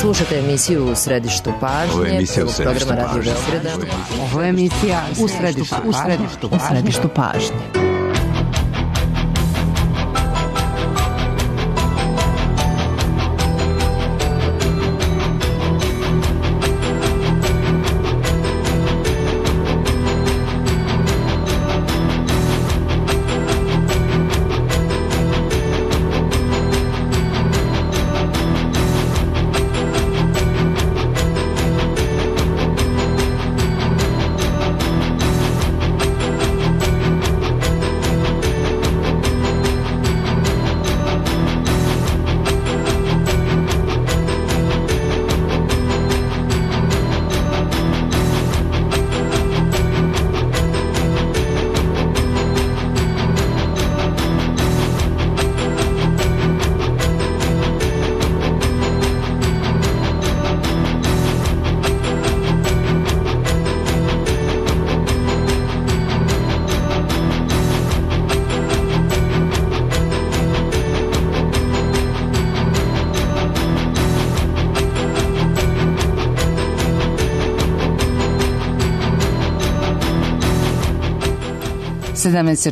Slušate emisiju U središtu pažnje, prvog programa Radio Beograda. Ovo je emisija U središtu pažnje.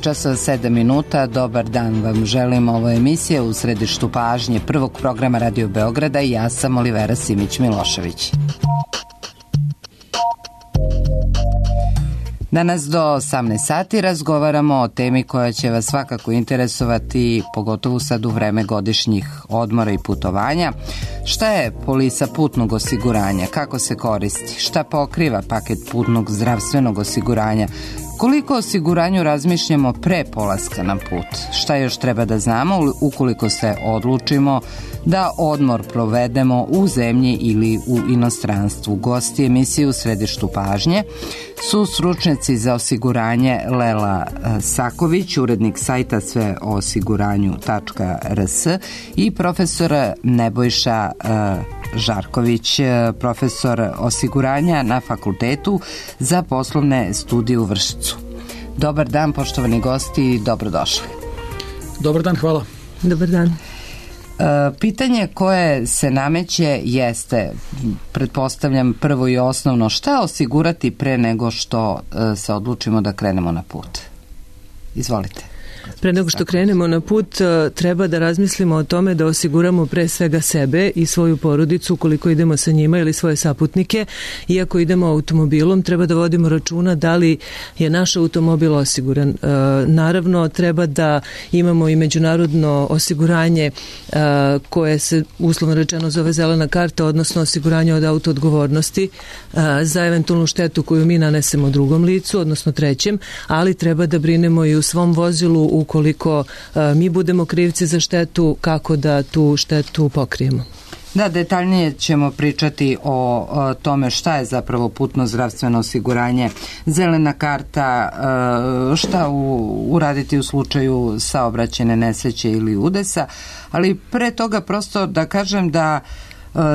časova 7 minuta. Dobar dan vam želim. Ovo je emisija U središtu pažnje prvog programa Radio Beograda i ja sam Olivera Simić-Milošević. Danas do 18 sati razgovaramo o temi koja će vas svakako interesovati, pogotovo sad u vreme godišnjih odmora i putovanja. Šta je polisa putnog osiguranja? Kako se koristi? Šta pokriva paket putnog zdravstvenog osiguranja? Koliko o osiguranju razmišljamo pre polaska na put? Šta još treba da znamo ukoliko se odlučimo da odmor provedemo u zemlji ili u inostranstvu? Gosti emisije U središtu pažnje su stručnjaci za osiguranje Lela Saković, urednik sajta sveoosiguranju.rs i profesor Nebojša Žarković, profesor osiguranja na Fakultetu za poslovne studije u Vršcu. Dobar dan, poštovani gosti, dobrodošli. Dobar dan, hvala. Dobar dan. Pitanje koje se nameće jeste, pretpostavljam prvo i osnovno, šta osigurati pre nego što se odlučimo da krenemo na put? Izvolite. Pre nego što krenemo na put, treba da razmislimo o tome da osiguramo pre svega sebe i svoju porodicu ukoliko idemo sa njima ili svoje saputnike. Iako idemo automobilom, treba da vodimo računa da li je naš automobil osiguran. Naravno, treba da imamo i međunarodno osiguranje koje se uslovno rečeno zove zelena karta, odnosno osiguranje od autoodgovornosti za eventualnu štetu koju mi nanesemo drugom licu, odnosno trećem, ali treba da brinemo i u svom vozilu ukoliko mi budemo krivci za štetu, kako da tu štetu pokrijemo. Da, detaljnije ćemo pričati o tome šta je zapravo putno zdravstveno osiguranje, zelena karta, šta uraditi u slučaju saobraćajne nesreće ili udesa, ali pre toga prosto da kažem da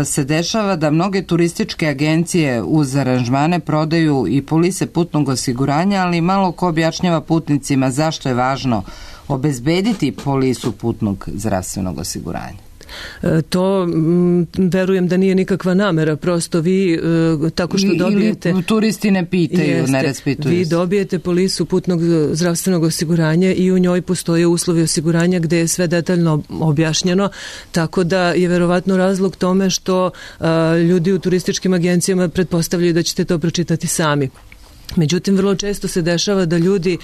se dešava da mnoge turističke agencije uz aranžmane prodaju i polise putnog osiguranja, ali malo ko objašnjava putnicima zašto je važno obezbediti polisu putnog zdravstvenog osiguranja. To verujem da nije nikakva namera, prosto vi tako što dobijete... Ili turisti ne pitaju, ne raspituju. Vi dobijete polisu putnog zdravstvenog osiguranja i u njoj postoje uslovi osiguranja gde je sve detaljno objašnjeno, tako da je verovatno razlog tome što ljudi u turističkim agencijama pretpostavljaju da ćete to pročitati sami. Međutim, vrlo često se dešava da ljudi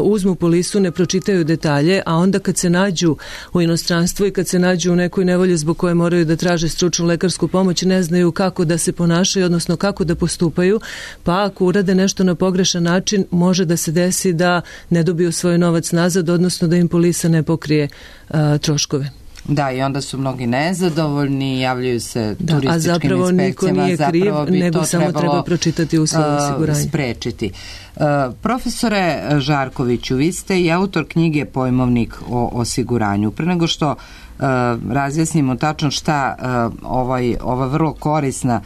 uzmu polisu, ne pročitaju detalje, a onda kad se nađu u inostranstvu i kad se nađu u nekoj nevolji zbog koje moraju da traže stručnu lekarsku pomoć, ne znaju kako da se ponašaju, odnosno kako da postupaju, pa ako urade nešto na pogrešan način, može da se desi da ne dobiju svoj novac nazad, odnosno da im polisa ne pokrije troškove. Da, i onda su mnogi nezadovoljni, javljaju se turističkim inspekcijama. A zapravo niko nije kriv, nego samo treba pročitati uslov osiguranja. Sprečiti. Profesore Žarkoviću, vi ste i autor knjige Pojmovnik o osiguranju. Pre nego što razjasnimo tačno šta ova vrlo korisna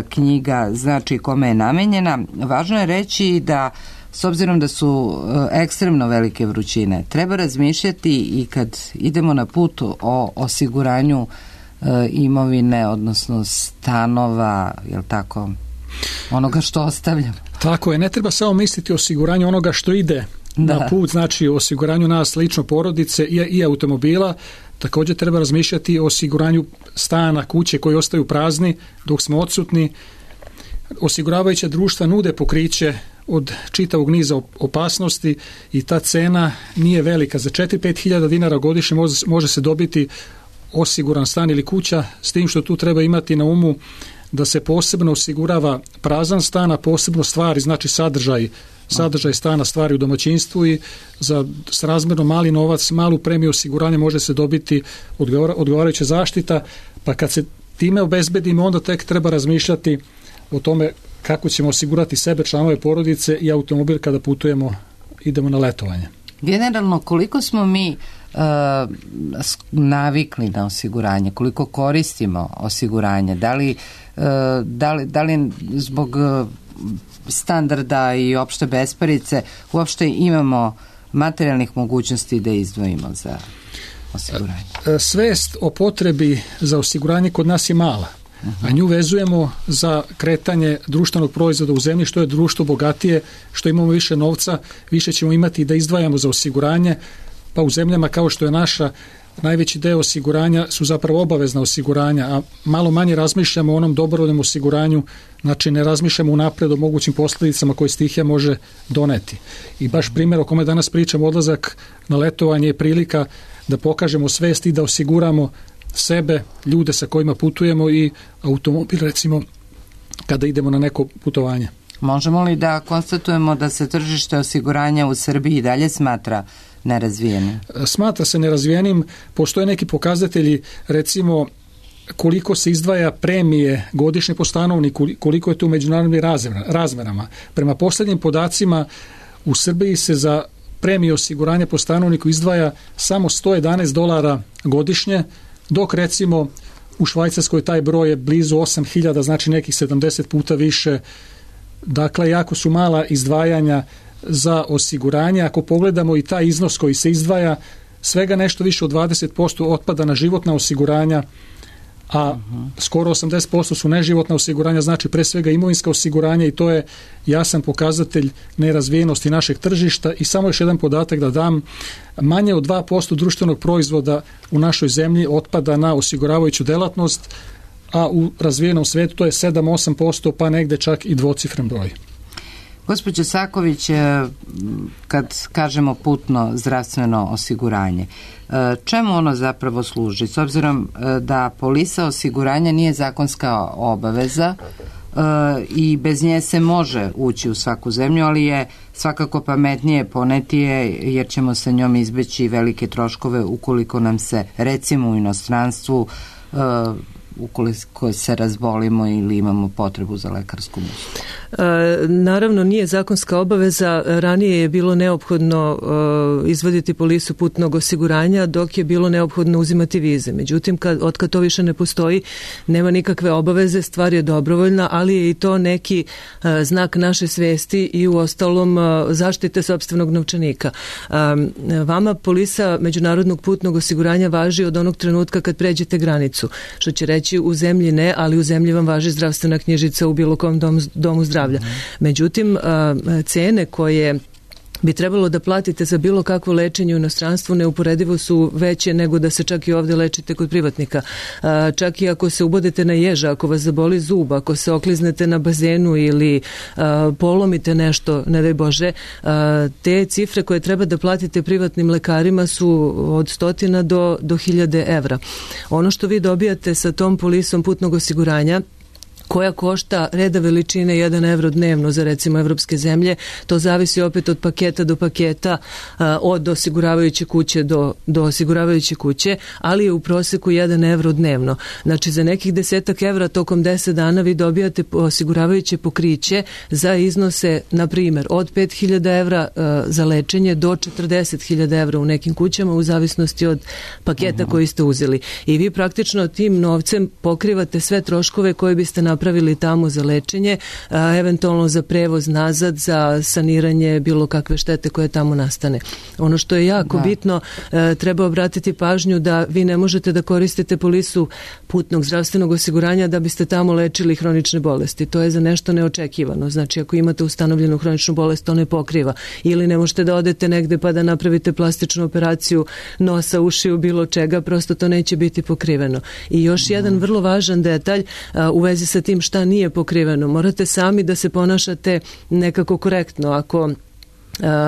knjiga znači kome je namenjena, važno je reći da s obzirom da su ekstremno velike vrućine, treba razmišljati i kad idemo na put o osiguranju imovine, odnosno stanova, je li tako, onoga što ostavljamo? Tako je, ne treba samo misliti o osiguranju onoga što ide na put, znači o osiguranju nas lično, porodice i automobila. Također treba razmišljati o osiguranju stana, kuće koji ostaju prazni dok smo odsutni. Osiguravajuća društva nude pokriće od čitavog niza opasnosti i ta cena nije velika. Za 4-5 hiljada dinara godišnje može se dobiti osiguran stan ili kuća, s tim što tu treba imati na umu da se posebno osigurava prazan stan, a posebno stvari, znači sadržaj stana, stvari u domaćinstvu, i za srazmjerno mali novac, malu premiju osiguranja može se dobiti odgovarajuća zaštita, pa kad se time obezbedimo, onda tek treba razmišljati o tome kako ćemo osigurati sebe, članove porodice i automobil kada idemo na letovanje. Generalno, koliko smo mi navikli na osiguranje, koliko koristimo osiguranje, da li zbog standarda i opšte besparice uopšte imamo materijalnih mogućnosti da izdvojimo za osiguranje? Svest o potrebi za osiguranje kod nas je mala, a nju vezujemo za kretanje društvenog proizvoda u zemlji. Što je društvo bogatije, što imamo više novca, više ćemo imati da izdvajamo za osiguranje, pa u zemljama kao što je naša, najveći deo osiguranja su zapravo obavezna osiguranja, a malo manje razmišljamo o onom dobrovoljnom osiguranju, znači ne razmišljamo unapred o mogućim posljedicama koje stihija može doneti. I baš primjer o kome danas pričamo, odlazak na letovanje, je prilika da pokažemo svest i da osiguramo sebe, ljude sa kojima putujemo i automobil, recimo, kada idemo na neko putovanje. Možemo li da konstatujemo da se tržište osiguranja u Srbiji i dalje smatra nerazvijenim? Smatra se nerazvijenim. Postoje neki pokazatelji, recimo koliko se izdvaja premije godišnje po stanovniku, koliko je to u međunarodnim razmerama. Prema posljednjim podacima u Srbiji se za premije osiguranja po stanovniku izdvaja samo $111 godišnje, dok recimo u Švajcarskoj taj broj je blizu 8.000, znači nekih 70 puta više. Dakle, jako su mala izdvajanja za osiguranje. Ako pogledamo i taj iznos koji se izdvaja, svega nešto više od 20% otpada na životna osiguranja, a skoro 80% su neživotna osiguranja, znači pre svega imovinska osiguranja, i to je jasan pokazatelj nerazvijenosti našeg tržišta. I samo još jedan podatak da dam, manje od 2% društvenog proizvoda u našoj zemlji otpada na osiguravajuću delatnost, a u razvijenom svijetu to je 7-8%, pa negde čak i dvocifren broj. Gospođo Saković, kad kažemo putno zdravstveno osiguranje, čemu ono zapravo služi? S obzirom da polisa osiguranja nije zakonska obaveza i bez nje se može ući u svaku zemlju, ali je svakako pametnije poneti je, jer ćemo sa njom izbeći velike troškove ukoliko nam se, recimo u inostranstvu, ukoliko se razbolimo ili imamo potrebu za lekarsku uslugu. Naravno, nije zakonska obaveza. Ranije je bilo neophodno izvaditi polisu putnog osiguranja, dok je bilo neophodno uzimati vize. Međutim, otkad to više ne postoji, nema nikakve obaveze, stvar je dobrovoljna, ali je i to neki znak naše svesti i u ostalom zaštite sopstvenog novčanika. Vama polisa međunarodnog putnog osiguranja važi od onog trenutka kad pređete granicu, što će reći u zemlji ne, ali u zemlji vam važi zdravstvena knjižica u bilo kom domu zdravlja. Međutim, cene koje bi trebalo da platite za bilo kakvo lečenje u inostranstvu neuporedivo su veće nego da se čak i ovdje lečite kod privatnika. Čak i ako se ubodete na ježa, ako vas zaboli zub, ako se okliznete na bazenu ili polomite nešto, ne daj Bože, te cifre koje treba da platite privatnim lekarima su od 100 do 1000 evra. Ono što vi dobijate sa tom polisom putnog osiguranja, koja košta reda veličine 1 evro dnevno za recimo evropske zemlje, to zavisi opet od paketa do paketa, od osiguravajuće kuće do osiguravajuće kuće, ali je u proseku 1 evro dnevno. Znači za nekih 10 evra tokom 10 dana vi dobijate osiguravajuće pokriće za iznose, na primjer, od 5.000 evra za lečenje do 40.000 evra u nekim kućama, u zavisnosti od paketa koji ste uzeli. I vi praktično tim novcem pokrivate sve troškove koje biste napravili napravili tamo za lečenje, eventualno za prevoz nazad, za saniranje bilo kakve štete koje tamo nastane. Ono što je jako bitno, treba obratiti pažnju da vi ne možete da koristite polisu putnog zdravstvenog osiguranja da biste tamo lečili hronične bolesti. To je za nešto neočekivano. Znači, ako imate ustanovljenu hroničnu bolest, to ne pokriva. Ili ne možete da odete negde pa da napravite plastičnu operaciju nosa, ušiju, bilo čega, prosto to neće biti pokriveno. I još jedan vrlo važan detalj u vezi sa tim šta nije pokriveno. Morate sami da se ponašate nekako korektno. Ako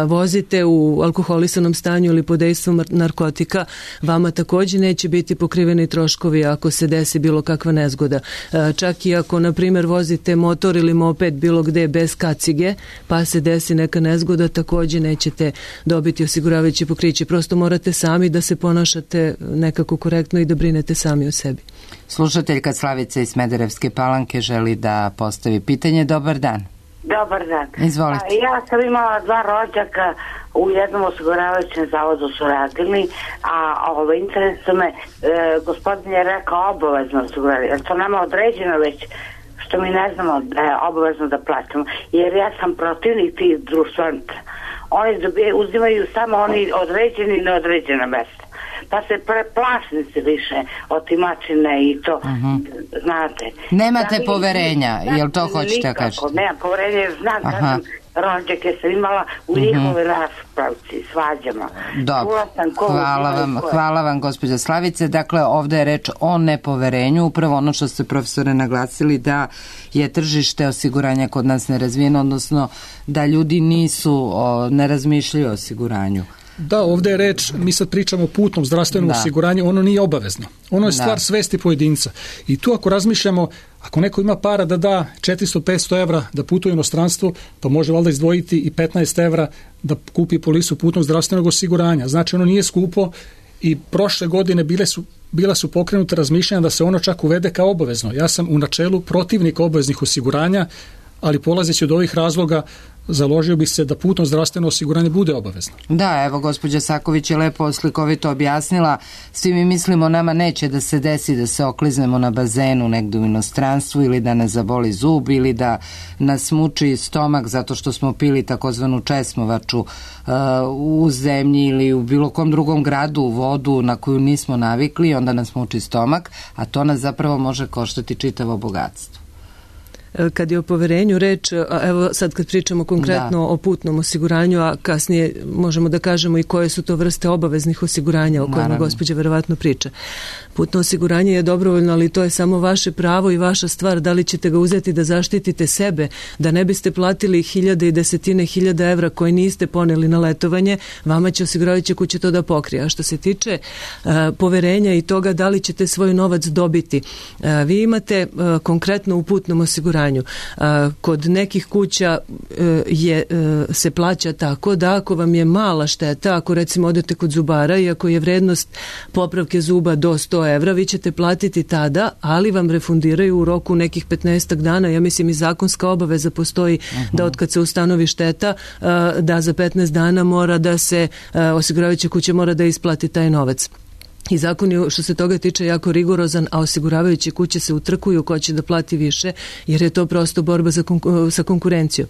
vozite u alkoholisanom stanju ili pod dejstvom narkotika, vama također neće biti pokriveni troškovi ako se desi bilo kakva nezgoda. Čak i ako, na primjer, vozite motor ili moped bilo gde bez kacige, pa se desi neka nezgoda, također nećete dobiti osiguravajuće pokriće. Prosto morate sami da se ponašate nekako korektno i da brinete sami o sebi. Slušateljka Slavica iz Smederevske Palanke želi da postavi pitanje. Dobar dan. Dobar dan. Izvolite. Ja sam imala 2 rođaka u jednom osiguravajućem zavodu su radili, a interesu me, gospodin je rekao obavezno osiguranje. Je to nama određeno već, što mi ne znamo da je obavezno da plaćamo? Jer ja sam protivnik tih društvenica. Oni uzimaju samo oni određeni i neodređena mesta. Pa se plašnici više otimačine i to, znate. Nemate poverenja, jel to hoćete kažete? Nemam poverenja, jer znam da sam rođake sam imala u njihove raspravci, svađama. Dobro, hvala vam gospođa Slavice. Dakle, ovde je reč o nepoverenju, upravo ono što ste profesore naglasili, da je tržište osiguranja kod nas nerazvijeno, odnosno da ljudi ne razmišljaju o osiguranju. Da, ovdje je reč, mi sad pričamo o putnom zdravstvenom osiguranju, ono nije obavezno. Ono je stvar svesti pojedinca. I tu ako razmišljamo, ako neko ima para da da 400-500 evra da putuje u inostranstvo, pa može valjda izdvojiti i 15 evra da kupi polisu putnog zdravstvenog osiguranja. Znači ono nije skupo i prošle godine bila su pokrenute razmišljanja da se ono čak uvede kao obavezno. Ja sam u načelu protivnik obaveznih osiguranja, ali polazeći od ovih razloga založio bi se da putno zdravstveno osiguranje bude obavezno. Da, evo gospođa Saković je lepo slikovito objasnila. Svi mi mislimo nama neće da se desi da se okliznemo na bazenu negdje u inostranstvu ili da nas zaboli zub ili da nas muči stomak zato što smo pili takozvanu česmovaču u zemlji ili u bilo kom drugom gradu u vodu na koju nismo navikli, onda nas muči stomak, a to nas zapravo može koštati čitavo bogatstvo. Kad je o poverenju reč, evo sad kad pričamo konkretno o putnom osiguranju, a kasnije možemo da kažemo i koje su to vrste obaveznih osiguranja o kojima gospođa verovatno priča. Putno osiguranje je dobrovoljno, ali to je samo vaše pravo i vaša stvar da li ćete ga uzeti da zaštitite sebe, da ne biste platili hiljade i desetine hiljada evra koje niste poneli na letovanje, vama će osiguravajuća kuća to da pokrije. A što se tiče poverenja i toga da li ćete svoj novac dobiti, vi imate konkretno u putnom osiguranju. Kod nekih kuća se plaća tako da ako vam je mala šteta, ako recimo odete kod zubara i ako je vrednost popravke zuba do 100 evra, vi ćete platiti tada, ali vam refundiraju u roku nekih 15 dana. Ja mislim i zakonska obaveza postoji da od kad se ustanovi šteta, da za 15 dana mora da se osiguravajuća kuća mora da isplati taj novac. I zakon je što se toga tiče jako rigorozan, a osiguravajuće kuće se utrkuju ko će da plati više, jer je to prosto borba sa konkurencijom.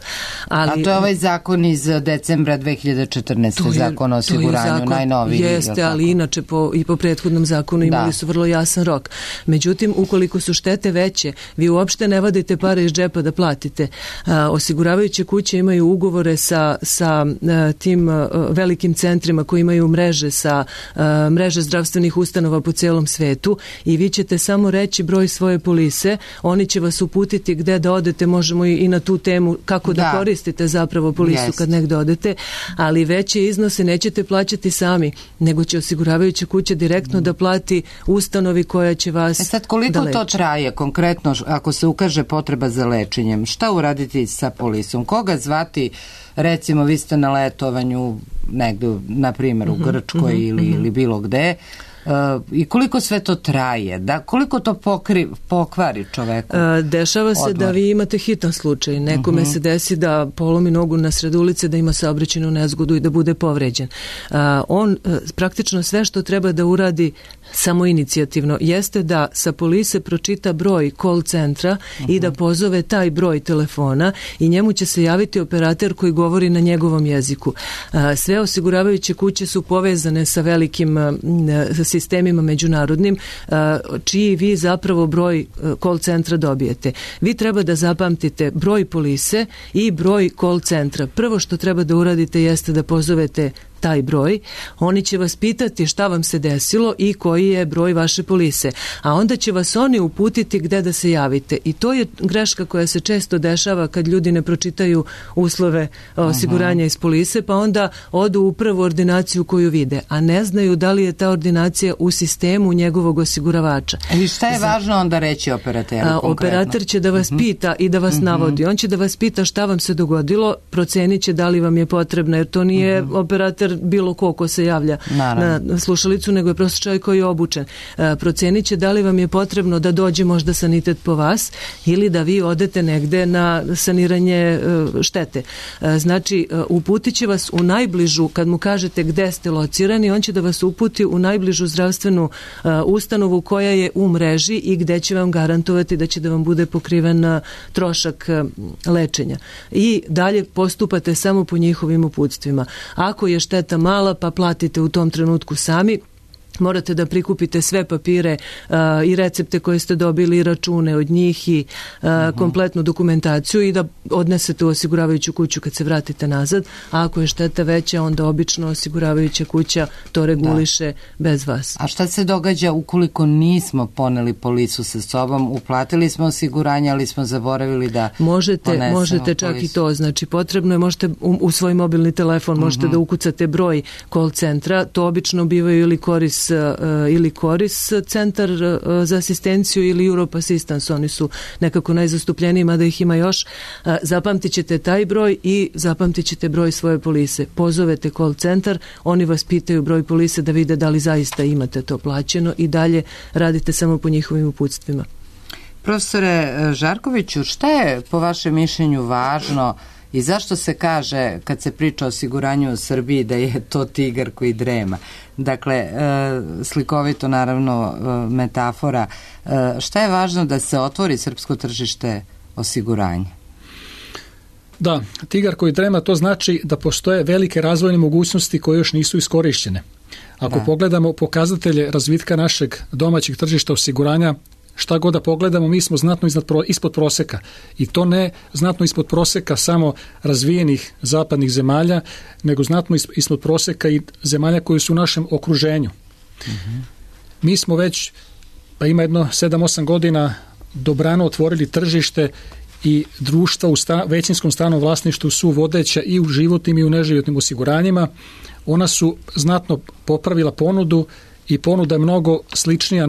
A to je ovaj zakon iz decembra 2014. Zakon o osiguranju, najnoviji. Jeste, ali inače i po prethodnom zakonu imali su vrlo jasan rok. Međutim, ukoliko su štete veće, vi uopšte ne vadite pare iz džepa da platite. Osiguravajuće kuće imaju ugovore sa tim velikim centrima koji imaju mreže zdravstvenih ustanova po celom svetu i vi ćete samo reći broj svoje polise, oni će vas uputiti gde da odete, možemo i na tu temu kako da koristite zapravo polisu kad negde odete, ali veće iznose nećete plaćati sami, nego će osiguravajuća kuća direktno da plati ustanovi koja će vas sad koliko to traje konkretno ako se ukaže potreba za lečenjem? Šta uraditi sa polisom? Koga zvati? Recimo vi ste na letovanju negde, na primjer u Grčkoj ili bilo gde. i koliko sve to traje, da koliko to pokvari čoveku? Dešava se da vi imate hitan slučaj. Nekome se desi da polomi nogu na sred ulice, da ima saobraćajnu nezgodu i da bude povređen. On praktično sve što treba da uradi samoinicijativno jeste da sa polise pročita broj call centra i da pozove taj broj telefona i njemu će se javiti operater koji govori na njegovom jeziku. Sve osiguravajuće kuće su povezane sa velikim sistemima međunarodnim, čiji vi zapravo broj call centra dobijete. Vi treba da zapamtite broj polise i broj call centra. Prvo što treba da uradite jeste da pozovete taj broj, oni će vas pitati šta vam se desilo i koji je broj vaše polise, a onda će vas oni uputiti gde da se javite i to je greška koja se često dešava kad ljudi ne pročitaju uslove osiguranja iz polise, pa onda odu u prvu ordinaciju koju vide, a ne znaju da li je ta ordinacija u sistemu njegovog osiguravača. I šta je važno onda reći operateru konkretno? Operater će da vas pita i da vas navodi. On će da vas pita šta vam se dogodilo, procenit će da li vam je potrebno, jer to nije operater bilo ko se javlja na slušalicu, nego je prosto čovjek koji je obučen. Procenit će da li vam je potrebno da dođe možda sanitet po vas ili da vi odete negde na saniranje štete. Znači, uputit će vas u najbližu, kad mu kažete gde ste locirani, on će da vas uputi u najbližu zdravstvenu ustanovu koja je u mreži i gde će vam garantovati da će da vam bude pokriven trošak lečenja. I dalje postupate samo po njihovim uputstvima. Ako je šteta mala, pa platite u tom trenutku sami. Morate da prikupite sve papire i recepte koje ste dobili i račune od njih i kompletnu dokumentaciju i da odnesete u osiguravajuću kuću kad se vratite nazad, a ako je šteta veća, onda obično osiguravajuća kuća to reguliše bez vas. A šta se događa ukoliko nismo poneli policu sa sobom, uplatili smo osiguranje, ali smo zaboravili da možete čak policu. I to, znači potrebno je, možete u svoj mobilni telefon možete da ukucate broj call centra, to obično bivaju ili Koris centar za asistenciju ili Europe Assistance, oni su nekako najzastupljeniji, mada ih ima još. Zapamtit ćete taj broj i zapamtit ćete broj svoje polise. Pozovete call centar, oni vas pitaju broj polise da vide da li zaista imate to plaćeno i dalje radite samo po njihovim uputstvima. Profesore Žarkoviću, šta je po vašem mišljenju važno i zašto se kaže, kad se priča o osiguranju u Srbiji, da je to tigar koji drema? Dakle, slikovito naravno metafora. Šta je važno da se otvori srpsko tržište osiguranja? Da, tigar koji drema, to znači da postoje velike razvojne mogućnosti koje još nisu iskorišćene. Ako pogledamo pokazatelje razvitka našeg domaćeg tržišta osiguranja, šta god da pogledamo, mi smo znatno ispod proseka. I to ne znatno ispod proseka samo razvijenih zapadnih zemalja, nego znatno ispod proseka i zemalja koji su u našem okruženju. Mi smo već, pa ima jedno 7-8 godina, dobrano otvorili tržište i društva u većinskom stranom vlasništvu su vodeća i u životnim i u neživotnim osiguranjima. Ona su znatno popravila ponudu i ponuda je mnogo sličnija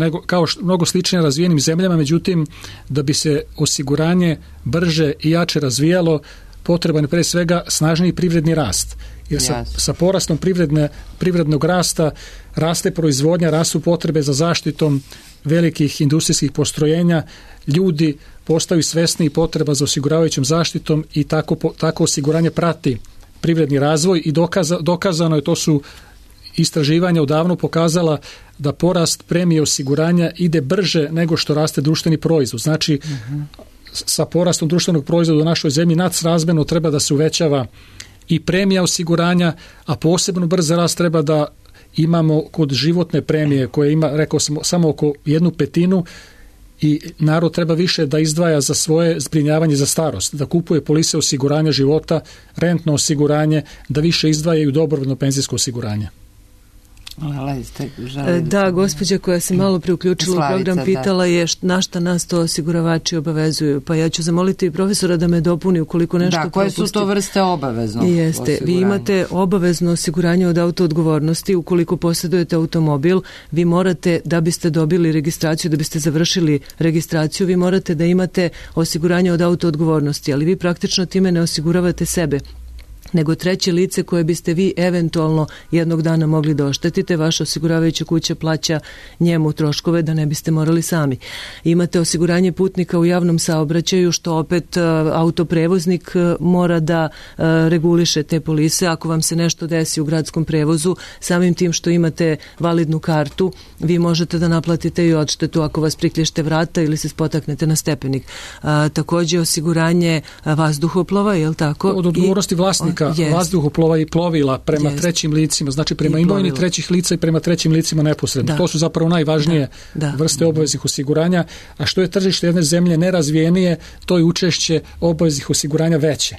mnogo sličnija razvijenim zemljama, međutim da bi se osiguranje brže i jače razvijalo, potreban je pre svega snažniji privredni rast. Jer sa porastom privrednog rasta raste proizvodnja, rastu potrebe za zaštitom velikih industrijskih postrojenja, ljudi postaju svesni potreba za osiguravajućom zaštitom i tako osiguranje prati privredni razvoj i dokazano je, to su istraživanja odavno pokazala, da porast premije osiguranja ide brže nego što raste društveni proizvod. Znači, sa porastom društvenog proizvoda u našoj zemlji nadsrazmjerno treba da se uvećava i premija osiguranja, a posebno brz rast treba da imamo kod životne premije koja ima, rekao sam, samo oko 1/5 i narod treba više da izdvaja za svoje zbrinjavanje za starost, da kupuje polise osiguranja života, rentno osiguranje, da više izdvajaju dobrovoljno penzijsko osiguranje. Da, gospođa koja se malo priuključila u program pitala je na šta nas to osiguravači obavezuju, pa ja ću zamoliti profesora da me dopuni ukoliko nešto propustim. Koje su to vrste obavezno osiguranja? Vi imate obavezno osiguranje od autoodgovornosti. Ukoliko posjedujete automobil, vi morate, da biste dobili registraciju, da biste završili registraciju, vi morate da imate osiguranje od autoodgovornosti, ali vi praktično time ne osiguravate sebe. nego treće lice koje biste vi eventualno jednog dana mogli da oštetite. Vaša osiguravajuća kuća plaća njemu troškove da ne biste morali sami. Imate osiguranje putnika u javnom saobraćaju, što opet autoprevoznik mora da reguliše te polise. Ako vam se nešto desi u gradskom prevozu, samim tim što imate validnu kartu, vi možete da naplatite i odštetu ako vas priklješте vrata ili se spotaknete na stepenik. Također osiguranje vazduhoplova, je li tako? Od odgovornosti vlasnika vazduhoplova i plovila prema trećim licima, znači prema imovini trećih lica i prema trećim licima neposredno. To su zapravo najvažnije vrste obaveznih osiguranja, a što je tržište jedne zemlje nerazvijenije, to je učešće obaveznih osiguranja veće.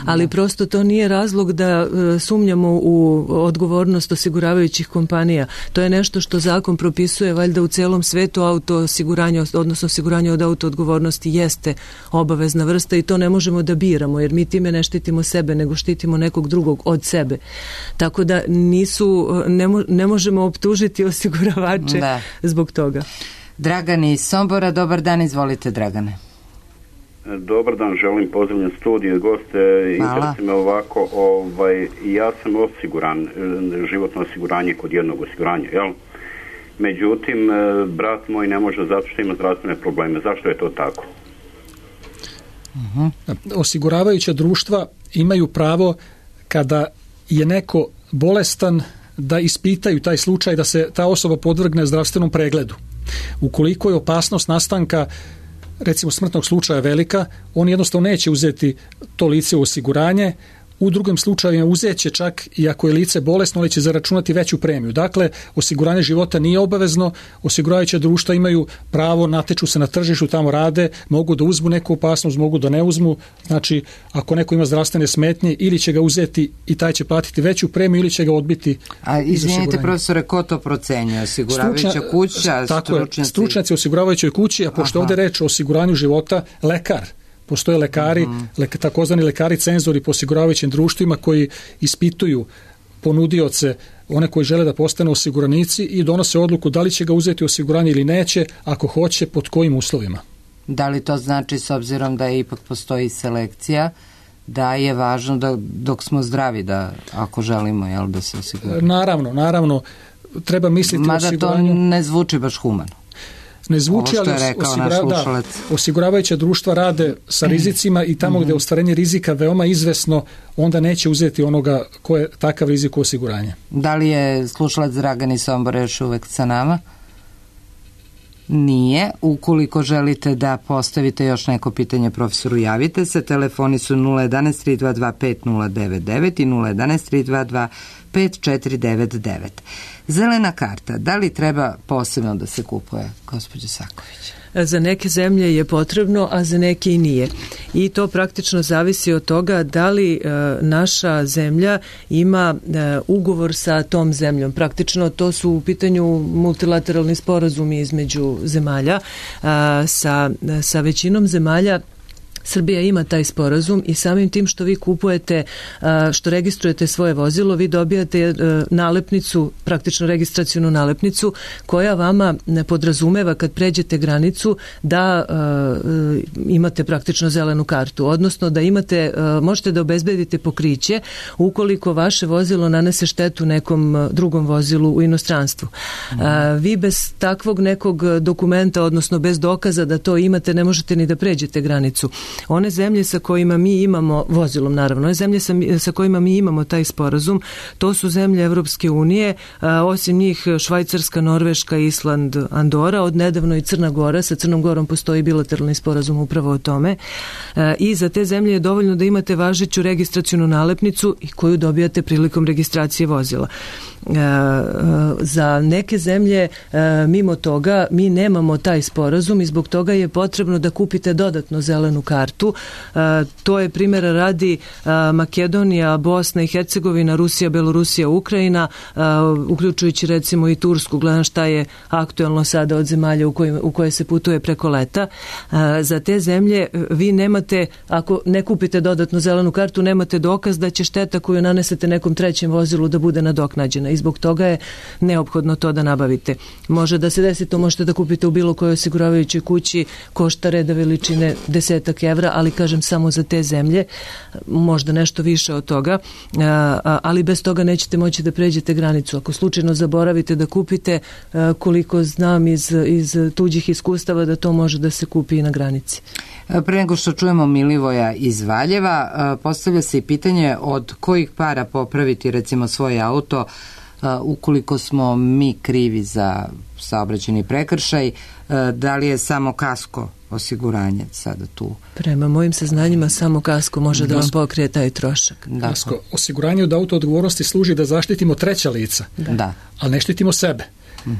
Ali prosto to nije razlog da sumnjamo u odgovornost osiguravajućih kompanija. To je nešto što zakon propisuje, valjda u celom svetu auto osiguranje, odnosno osiguranje od auto odgovornosti jeste obavezna vrsta i to ne možemo da biramo, jer mi time ne štitimo sebe, nego štitimo nekog drugog od sebe. Tako da ne možemo optužiti osiguravače zbog toga. Dragan iz Sombora, dobar dan, izvolite Dragane. Dobar dan, želim pozdravljam studije, goste. Interesuje me ovako, ja sam osiguran, životno osiguranje kod jednog osiguranja, jel? Međutim, brat moj ne može zato što ima zdravstvene probleme. Zašto je to tako? Osiguravajuća društva imaju pravo kada je neko bolestan da ispitaju taj slučaj, da se ta osoba podvrgne zdravstvenom pregledu. Ukoliko je opasnost nastanka recimo smrtnog slučaja velika, on jednostavno neće uzeti to lice u osiguranje. U drugim slučajevima uzet će čak i ako je lice bolesno, ali će zaračunati veću premiju. Dakle, osiguranje života nije obavezno, osiguravajuća društva imaju pravo, natječu se na tržištu, tamo rade, mogu da uzmu neku opasnost, mogu da ne uzmu. Znači, ako neko ima zdravstvene smetnje, ili će ga uzeti i taj će platiti veću premiju, ili će ga odbiti. A izvinite profesore, ko to procenjuje? Osiguravajuća kuća, stručnjaci? Stručnjaci osiguravajućoj kući, a pošto ovdje reč o osiguranju života, lekar. Postoje lekari, takozvani lekari cenzori po osiguravajućim društvima koji ispituju ponudioce, one koji žele da postanu osiguranici i donose odluku da li će ga uzeti u osiguranje ili neće, ako hoće, pod kojim uslovima. Da li to znači, s obzirom da ipak postoji selekcija, da je važno da dok smo zdravi, da ako želimo da se osiguramo? Naravno, treba misliti o osiguranju. Mada to ne zvuči baš humano. Ne zvuči, ali osiguravajuća društva rade sa rizicima i tamo gdje je ostvarenje rizika veoma izvesno, onda neće uzeti onoga ko je takav rizik u osiguranje. Da li je slušalac Dragan iz Sombora još uvek sa nama? Nije. Ukoliko želite da postavite još neko pitanje profesoru, javite se. Telefoni su 011 322 5099 i 011 322 5499. Zelena karta, da li treba posebno da se kupuje, gospođo Saković? Za neke zemlje je potrebno, a za neke i nije. I to praktično zavisi od toga da li naša zemlja ima ugovor sa tom zemljom. Praktično to su u pitanju multilateralni sporazumi između zemalja. Sa većinom zemalja Srbija ima taj sporazum i samim tim što vi kupujete, što registrujete svoje vozilo, vi dobijate nalepnicu, praktično registracionu nalepnicu koja vama podrazumeva kad pređete granicu da imate praktično zelenu kartu, odnosno da imate, možete da obezbedite pokriće ukoliko vaše vozilo nanese štetu nekom drugom vozilu u inostranstvu. Vi bez takvog nekog dokumenta, odnosno bez dokaza da to imate, ne možete ni da pređete granicu. One zemlje sa kojima mi imamo, vozilom naravno, one zemlje sa kojima mi imamo taj sporazum, to su zemlje Evropske unije, osim njih Švajcarska, Norveška, Island, Andora, od nedavno i Crna Gora, sa Crnom Gorom postoji bilateralni sporazum upravo o tome. I za te zemlje je dovoljno da imate važeću registracionu nalepnicu i koju dobijate prilikom registracije vozila. Za neke zemlje mimo toga mi nemamo taj sporazum i zbog toga je potrebno da kupite dodatno zelenu kartu. To je primjera radi Makedonija, Bosna i Hercegovina, Rusija, Belorusija, Ukrajina, uključujući recimo i Tursku. Gledam šta je aktuelno sada od zemalja u koje se putuje preko leta. Za te zemlje vi nemate, ako ne kupite dodatno zelenu kartu, nemate dokaz da će šteta koju nanesete nekom trećem vozilu da bude nadoknađena i zbog toga je neophodno to da nabavite. Može da se desi, to možete da kupite u bilo kojoj osiguravajućoj kući, košta reda veličine 10 evra, ali kažem samo za te zemlje, možda nešto više od toga, ali bez toga nećete moći da pređete granicu. Ako slučajno zaboravite da kupite, koliko znam iz tuđih iskustava, da to može da se kupi i na granici. Pre nego što čujemo Milivoja iz Valjeva, postavlja se i pitanje od kojih para popraviti recimo svoj auto ukoliko smo mi krivi za saobraćajni prekršaj, da li je samo kasko osiguranje sada tu? Prema mojim saznanjima samo kasko može da vam pokrije taj trošak. Kasko osiguranje od auto odgovornosti služi da zaštitimo treća lica, ali ne štitimo sebe.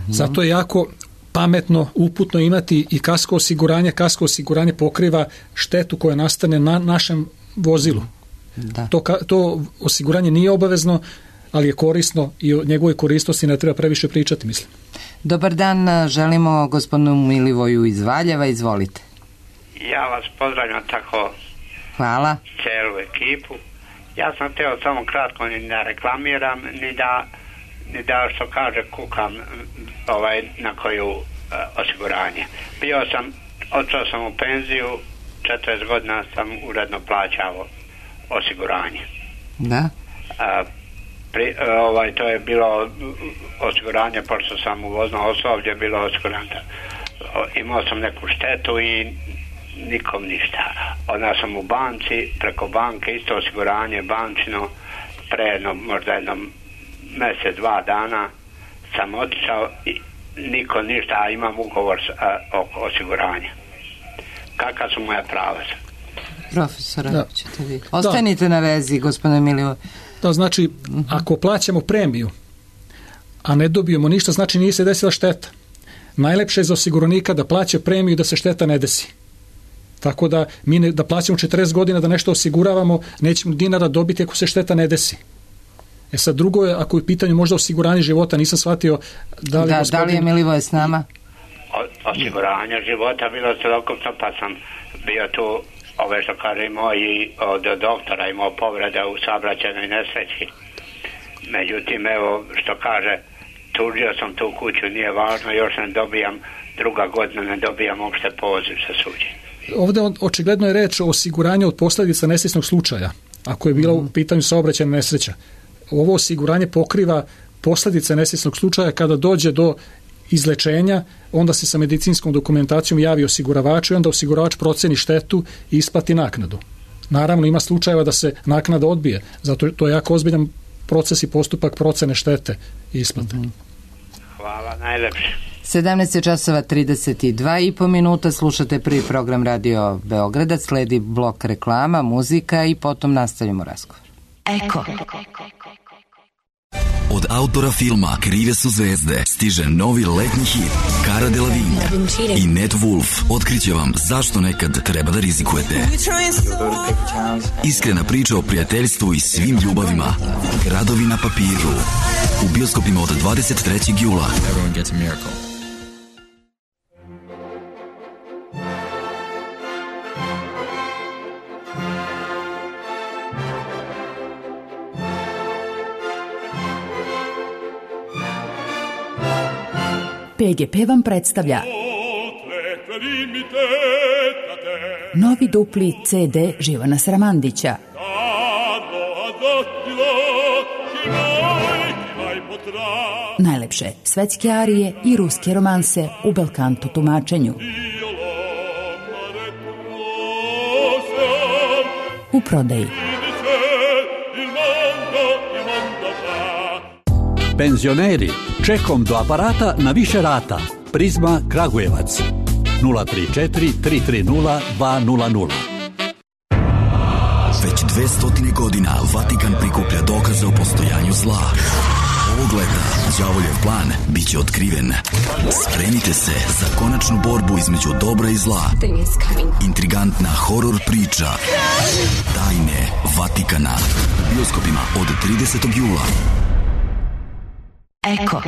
Zato je jako pametno, uputno imati i kasko osiguranje. Kasko osiguranje pokriva štetu koja nastane na našem vozilu. To osiguranje nije obavezno, ali je korisno i o njegovoj korisnosti ne treba previše pričati, mislim. Dobar dan, želimo gospodinu Milivoju iz Valjeva, izvolite. Ja vas pozdravljam tako. Hvala. Celu ekipu. Ja sam htio samo kratko ni da reklamiram, ni da što kaže kukam na koju osiguranje. Otišao sam u penziju, 40 godina sam uredno plaćao osiguranje. Da? To je bilo osiguranje, pošto sam u voznom osoblje bilo osiguranje. Imao sam neku štetu i nikom ništa. Onda sam u banci, preko banke, isto osiguranje bančino, možda jednom mjesec, 2 dana sam otišao i niko ništa, a imam ugovor oko osiguranja. Kakva su moja prava? Profesora, ćete vi. Ostanite na vezi, gospodine Milivoj. Da, znači, ako plaćamo premiju, a ne dobijemo ništa, znači nije se desila šteta. Najlepše je za osiguranika da plaća premiju da se šteta ne desi. Tako da mi da plaćamo 40 godina da nešto osiguravamo, nećemo dinara dobiti ako se šteta ne desi. Sad drugo je, ako je u pitanju možda osiguranje života, nisam shvatio da li je Milivoje s nama? Osiguranje života bilo celokupno, pa sam bio tu, što kaže, imao i od doktora, imao povrede u saobraćajnoj nesreći. Međutim, evo što kaže, tužio sam tu kuću, nije važno, još ne dobijam, druga godina ne dobijam uopšte poziv za suđenje. Ovdje očigledno je reč o osiguranju od posljedica nesretnog slučaja, ako je bila u pitanju saobraćajna nesreća. Ovo osiguranje pokriva posljedice nesretnog slučaja kada dođe do izlečenja, onda se sa medicinskom dokumentacijom javi osiguravaču i onda osiguravač proceni štetu i isplati naknadu. Naravno, ima slučajeva da se naknada odbije, zato to je jako ozbiljan proces i postupak procene štete i isplate. Hvala, najlepše. 17:32 slušate prvi program Radio Beograda, sledi blok reklama, muzika i potom nastavimo razgovor. Eko. Od autora filma Krive su zvezde stiže novi letnji hit Cara Delevingne i Ned Wolf otkriće vam zašto nekad treba da rizikujete. Iskrena priča o prijateljstvu i svim ljubavima. Gradovi na papiru. U bioskopima od 23. jula. Everyone gets a miracle. PGP vam predstavlja novi dupli CD Živana Sramandića. Najlepše svetske arije i ruske romanse u belkanto tumačenju. U prodaji. Penzioneri, čekom do aparata na više rata. Prizma Kragujevac 034 330 200. Već 200 godina Vatikan prikuplja dokaze o postojanju zla. Ovog leta đavoljev plan biće otkriven. Spremite se za konačnu borbu između dobra i zla. Intrigantna horor priča Tajne Vatikana u bioskopima od 30. jula. Eko.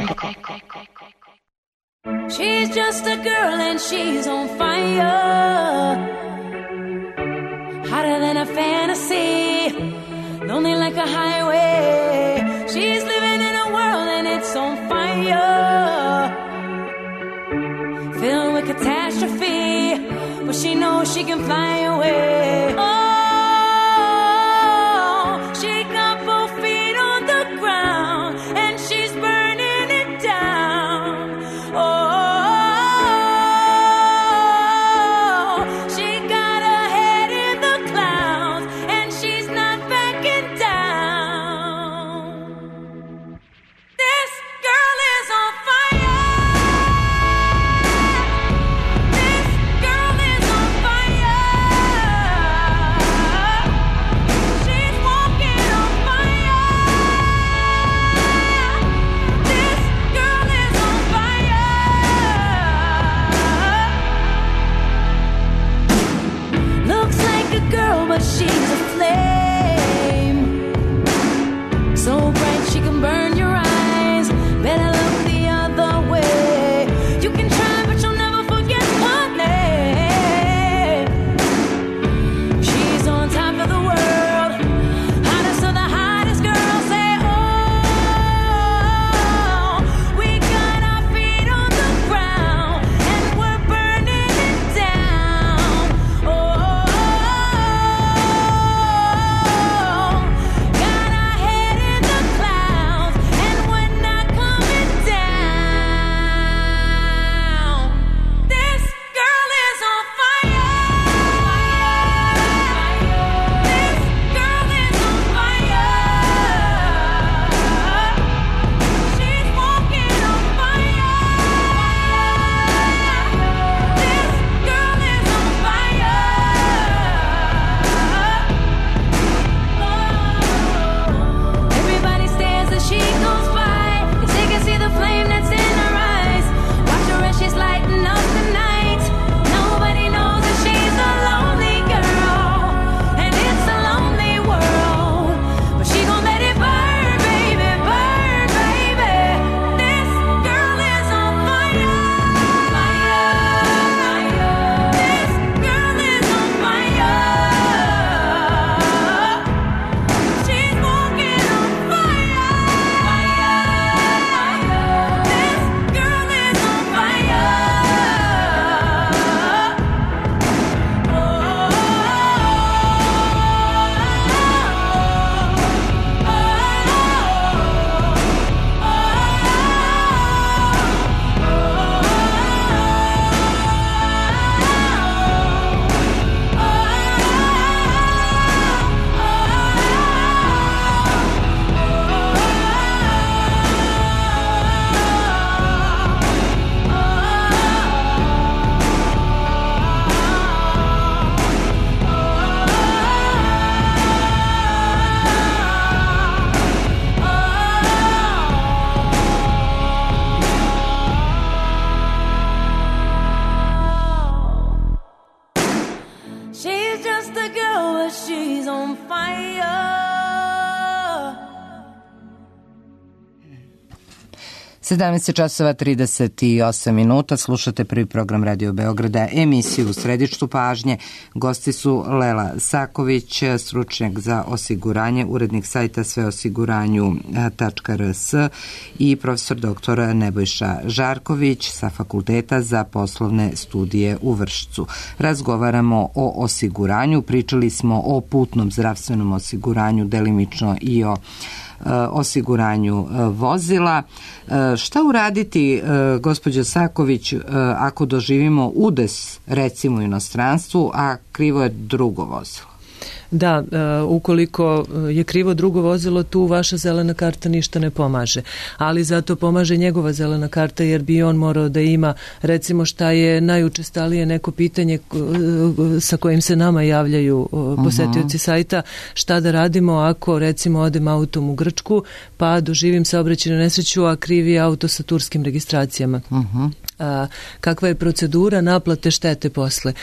She's just a girl and she's on fire, hotter than a fantasy, lonely like a highway. She's living in a world and it's on fire, filled with catastrophe, but but she knows she can fly away. Oh, she got both feet on the ground and she's burning it down. Oh, she got her head in the clouds and she's not backing down. This girl is on fire. This girl is on fire. She's walking on fire. This girl is on fire. Looks like a girl, but she's a flame. So bright she can burn your eyes. Better look the other way. You can try, but you'll never forget her name. She's on top of the world, hottest of the hottest girls. Say, oh, we got our feet on the ground and we're burning it down. Oh, got our head in the clouds and we're not coming down. This girl is on fire. This girl is on fire. She's walking on fire. This girl is on fire. Everybody stares as she goes by, 'cause they can see the flame that's in her eyes. Watch her as she's lighting up the night. Nobody knows that she's a lonely girl, and it's a lonely world. But she gon' let it burn, baby, burn, baby. This girl is on fire. This girl is on fire. She's walking on fire. This girl is on fire. She's just a girl, but she's on fire. 17 časova 38 minuta, slušate prvi program Radio Beograda, emisiju U središtu pažnje. Gosti su Lela Saković, stručnjak za osiguranje, urednik sajta sveosiguranju.rs i profesor dr. Nebojša Žarković sa Fakulteta za poslovne studije u Vršcu. Razgovaramo o osiguranju, pričali smo o putnom zdravstvenom osiguranju, delimično i o osiguranju vozila. Šta uraditi, gospođo Saković, ako doživimo udes, recimo u inostranstvu, a krivo je drugo vozilo? Da, ukoliko je krivo drugo vozilo, tu vaša zelena karta ništa ne pomaže. Ali zato pomaže njegova zelena karta, jer bi on morao da ima, recimo, šta je najučestalije neko pitanje sa kojim se nama javljaju posetioci sajta, šta da radimo ako, recimo, odem autom u Grčku, pa doživim saobraćajnu nesreću, a krivi je auto sa turskim registracijama. Kakva je procedura naplate štete posle?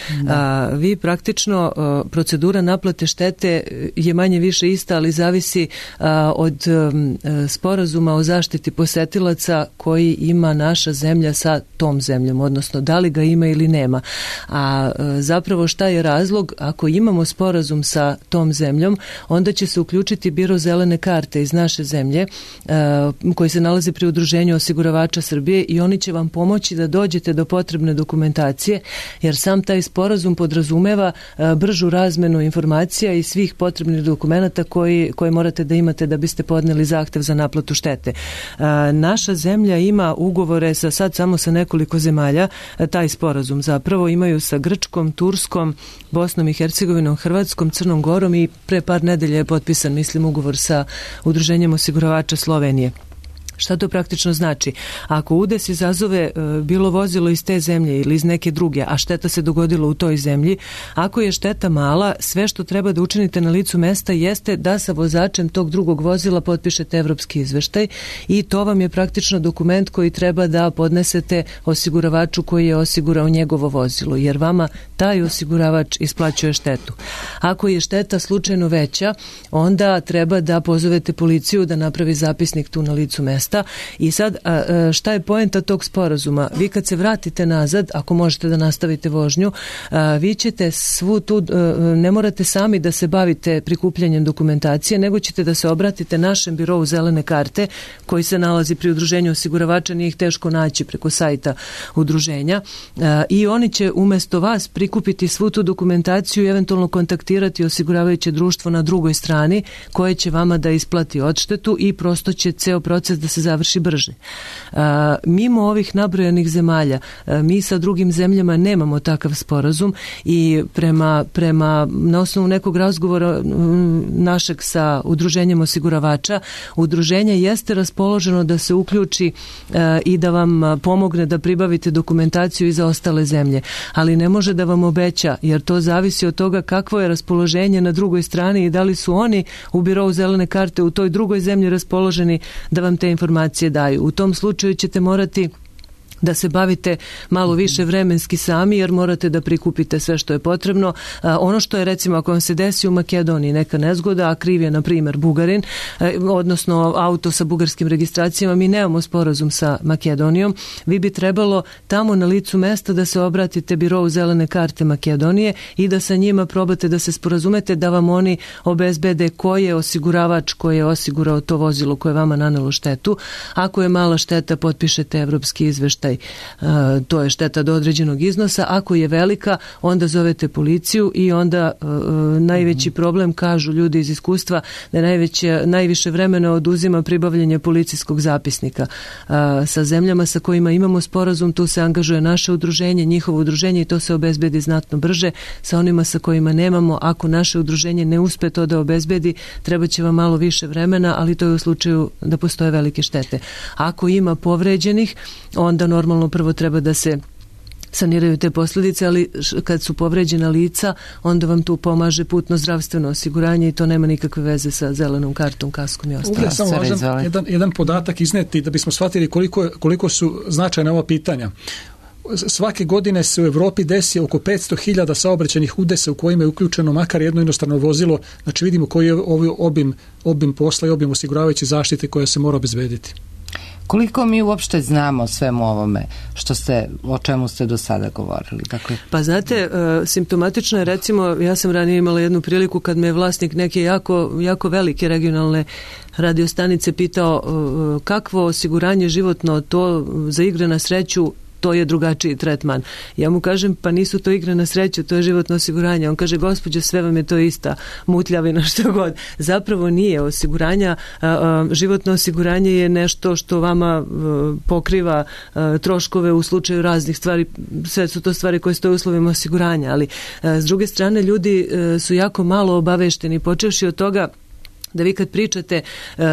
Vi praktično, procedura naplate štete je manje više ista, ali zavisi od sporazuma o zaštiti posetilaca koji ima naša zemlja sa tom zemljom, odnosno da li ga ima ili nema. A zapravo šta je razlog? Ako imamo sporazum sa tom zemljom, onda će se uključiti biro zelene karte iz naše zemlje koji se nalazi pri Udruženju osiguravača Srbije i oni će vam pomoći da dođete do potrebne dokumentacije, jer sam taj sporazum podrazumeva bržu razmenu informacija i svih potrebnih dokumenata koje morate da imate da biste podneli zahtev za naplatu štete. Naša zemlja ima ugovore sad samo sa nekoliko zemalja, taj sporazum zapravo imaju sa Grčkom, Turskom, Bosnom i Hercegovinom, Hrvatskom, Crnom Gorom i pre par nedelja je potpisan, mislim, ugovor sa Udruženjem osiguravača Slovenije. Šta to praktično znači? Ako udes izazove bilo vozilo iz te zemlje ili iz neke druge, a šteta se dogodila u toj zemlji, ako je šteta mala, sve što treba da učinite na licu mesta jeste da sa vozačem tog drugog vozila potpišete evropski izveštaj i to vam je praktično dokument koji treba da podnesete osiguravaču koji je osigurao njegovo vozilo, jer vama taj osiguravač isplaćuje štetu. Ako je šteta slučajno veća, onda treba da pozovete policiju da napravi zapisnik tu na licu mesta. I sad, šta je poenta tog sporazuma? Vi kad se vratite nazad, ako možete da nastavite vožnju, vi ćete svu tu, ne morate sami da se bavite prikupljanjem dokumentacije, nego ćete da se obratite našem birovu zelene karte, koji se nalazi pri udruženju osiguravača, nije ih teško naći preko sajta udruženja, i oni će umesto vas prikupiti svu tu dokumentaciju i eventualno kontaktirati osiguravajuće društvo na drugoj strani, koje će vama da isplati odštetu i prosto će ceo proces da se završi brže. Mimo ovih nabrojanih zemalja, mi sa drugim zemljama nemamo takav sporazum i prema na osnovu nekog razgovora našeg sa udruženjem osiguravača, udruženje jeste raspoloženo da se uključi i da vam pomogne da pribavite dokumentaciju i za ostale zemlje, ali ne može da vam obeća, jer to zavisi od toga kakvo je raspoloženje na drugoj strani i da li su oni u birovu zelene karte u toj drugoj zemlji raspoloženi da vam te informacije daju. U tom slučaju ćete morati da se bavite malo više vremenski sami, jer morate da prikupite sve što je potrebno. Ono što je, recimo, ako vam se desi u Makedoniji neka nezgoda, a kriv je, na primjer, Bugarin, odnosno auto sa bugarskim registracijama, mi nemamo sporazum sa Makedonijom, vi bi trebalo tamo na licu mesta da se obratite birovu zelene karte Makedonije i da sa njima probate da se sporazumete da vam oni obezbede ko je osiguravač koji je osigurao to vozilo koje vama nanelo štetu. Ako je mala šteta, potpišete evropski izveštaj, to je šteta do određenog iznosa. Ako je velika, onda zovete policiju i onda najveći problem, kažu ljudi iz iskustva, da najviše vremena oduzima pribavljanje policijskog zapisnika. Sa zemljama sa kojima imamo sporazum, tu se angažuje naše udruženje, njihovo udruženje, i to se obezbedi znatno brže. Sa onima sa kojima nemamo, ako naše udruženje ne uspe to da obezbedi, treba će vam malo više vremena, ali to je u slučaju da postoje velike štete. Ako ima povređenih, onda normalno prvo treba da se saniraju te posljedice, ali kad su povređena lica, onda vam tu pomaže putno zdravstveno osiguranje i to nema nikakve veze sa zelenom kartom, kaskom i ostalo. Ovdje je samo važan jedan podatak izneti da bismo shvatili koliko su značajna ova pitanja. Svake godine se u Europi desi oko 500.000 saobraćajnih udesa u kojima je uključeno makar jedno inostrano vozilo. Znači vidimo koji je obim posla i obim osiguravajuće zaštite koja se mora obezbediti. Koliko mi uopšte znamo svemu ovome o čemu ste do sada govorili? Dakle... Pa znate, simptomatično je, recimo, ja sam ranije imala jednu priliku kad me vlasnik neke jako velike regionalne radiostanice pitao kakvo osiguranje životno to za igre na sreću, to je drugačiji tretman. Ja mu kažem, pa nisu to igre na sreću, to je životno osiguranje. On kaže, gospođo, sve vam je to ista mutljavina, što god. Zapravo nije osiguranja. Životno osiguranje je nešto što vama pokriva troškove u slučaju raznih stvari. Sve su to stvari koje stoje u uslovima osiguranja, ali s druge strane ljudi su jako malo obavešteni, počevši od toga da vi kad pričate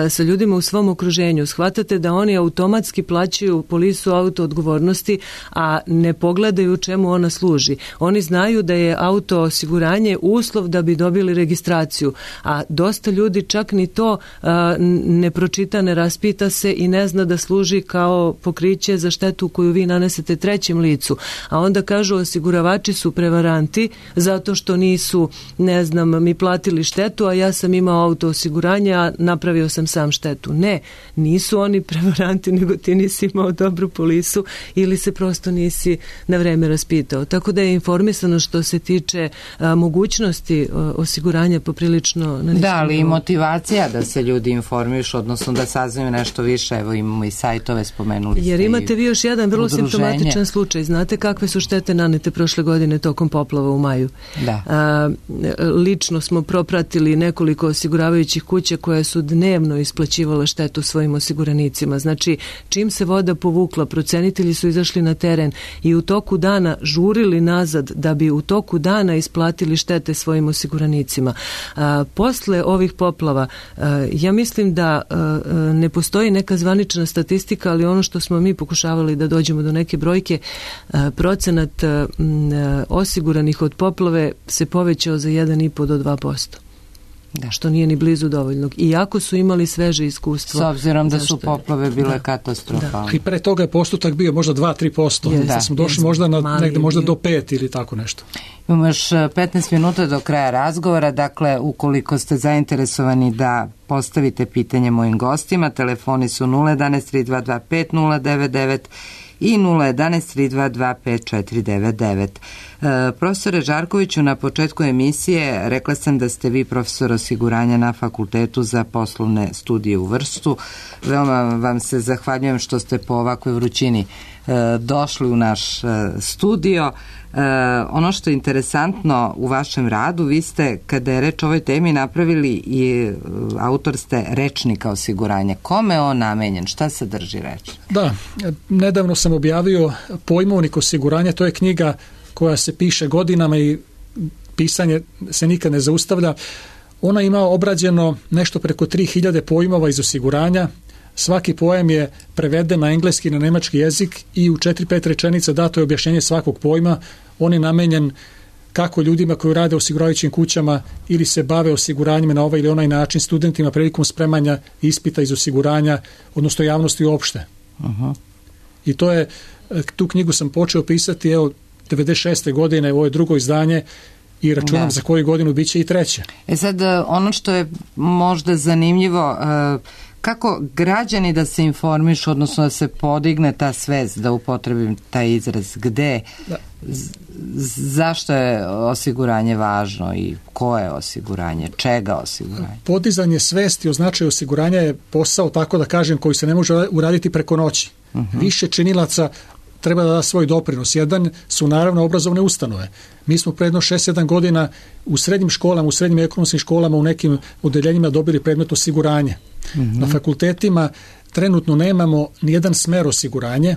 sa ljudima u svom okruženju, shvatate da oni automatski plaćaju polisu auto odgovornosti, a ne pogledaju čemu ona služi. Oni znaju da je auto osiguranje uslov da bi dobili registraciju, a dosta ljudi čak ni to ne pročita, ne raspita se i ne zna da služi kao pokriće za štetu koju vi nanesete trećem licu. A onda kažu, osiguravači su prevaranti zato što nisu, ne znam, mi platili štetu, a ja sam imao auto osiguranje osiguranje, a napravio sam sam štetu. Ne, nisu oni prevaranti, nego ti nisi imao dobru polisu ili se prosto nisi na vreme raspitao. Tako da je informisano što se tiče mogućnosti osiguranja poprilično na. Da, ali i motivacija da se ljudi informišu, odnosno da saznaju nešto više. Evo imamo i sajtove, spomenuli ste. Jer imate vi još jedan vrlo simptomatičan slučaj. Znate kakve su štete nanete prošle godine tokom poplava u maju? Da. Lično smo propratili nekoliko osiguravajućih kuća koje su dnevno isplaćivala štetu svojim osiguranicima. Znači, čim se voda povukla, procenitelji su izašli na teren i u toku dana žurili nazad da bi u toku dana isplatili štete svojim osiguranicima. Posle ovih poplava, ja mislim da ne postoji neka zvanična statistika, ali ono što smo mi pokušavali da dođemo do neke brojke, procenat osiguranih od poplave se povećao za 1,5 do 2%. Da. Što nije ni blizu dovoljnog. Iako su imali sveže iskustvo. S obzirom da su poplave bile katastrofalne. I pre toga je postotak bio možda 2-3%. Da smo došli možda na negde možda do 5 ili tako nešto. Imamo još 15 minuta do kraja razgovora. Dakle, ukoliko ste zainteresovani da postavite pitanje mojim gostima, telefoni su 011 322 5099 i 011 322 5499. Profesore Žarkoviću, na početku emisije rekla sam da ste vi profesor osiguranja na Fakultetu za poslovne studije u Vršcu. Veoma vam se zahvaljujem što ste po ovakvoj vrućini došli u naš studio. Ono što je interesantno u vašem radu, vi ste, kada je reč o ovoj temi, napravili i autor ste rečnika osiguranja. Kome je on namenjen? Šta sadrži reč? Da, nedavno sam objavio Pojmovnik osiguranja, to je knjiga koja se piše godinama i pisanje se nikad ne zaustavlja. Ona ima obrađeno nešto preko 3000 pojmova iz osiguranja. Svaki pojam je preveden na engleski i na nemački jezik i u 4-5 rečenica dato je objašnjenje svakog pojma. On je namenjen kako ljudima koji rade u osiguravajućim kućama ili se bave osiguranjima na ovaj ili onaj način, studentima prilikom spremanja ispita iz osiguranja, odnosno javnosti uopšte. I to je, tu knjigu sam počeo pisati 96. godine, ovo je drugo izdanje i računam za koju godinu bit će i treće. Sad, ono što je možda zanimljivo, kako građani da se informišu, odnosno da se podigne ta svest, da upotrebim taj izraz, gde, zašto je osiguranje važno i ko je osiguranje, čega osiguranje? Podizanje svesti o značaju osiguranja je posao, tako da kažem, koji se ne može uraditi preko noći. Više činilaca treba da da svoj doprinos. Jedan su naravno obrazovne ustanove. Mi smo predno 6-7 godina u srednjim školama, u srednjim ekonomskim školama, u nekim odeljenjima dobili predmet osiguranje. Na fakultetima trenutno nemamo nijedan smer osiguranje,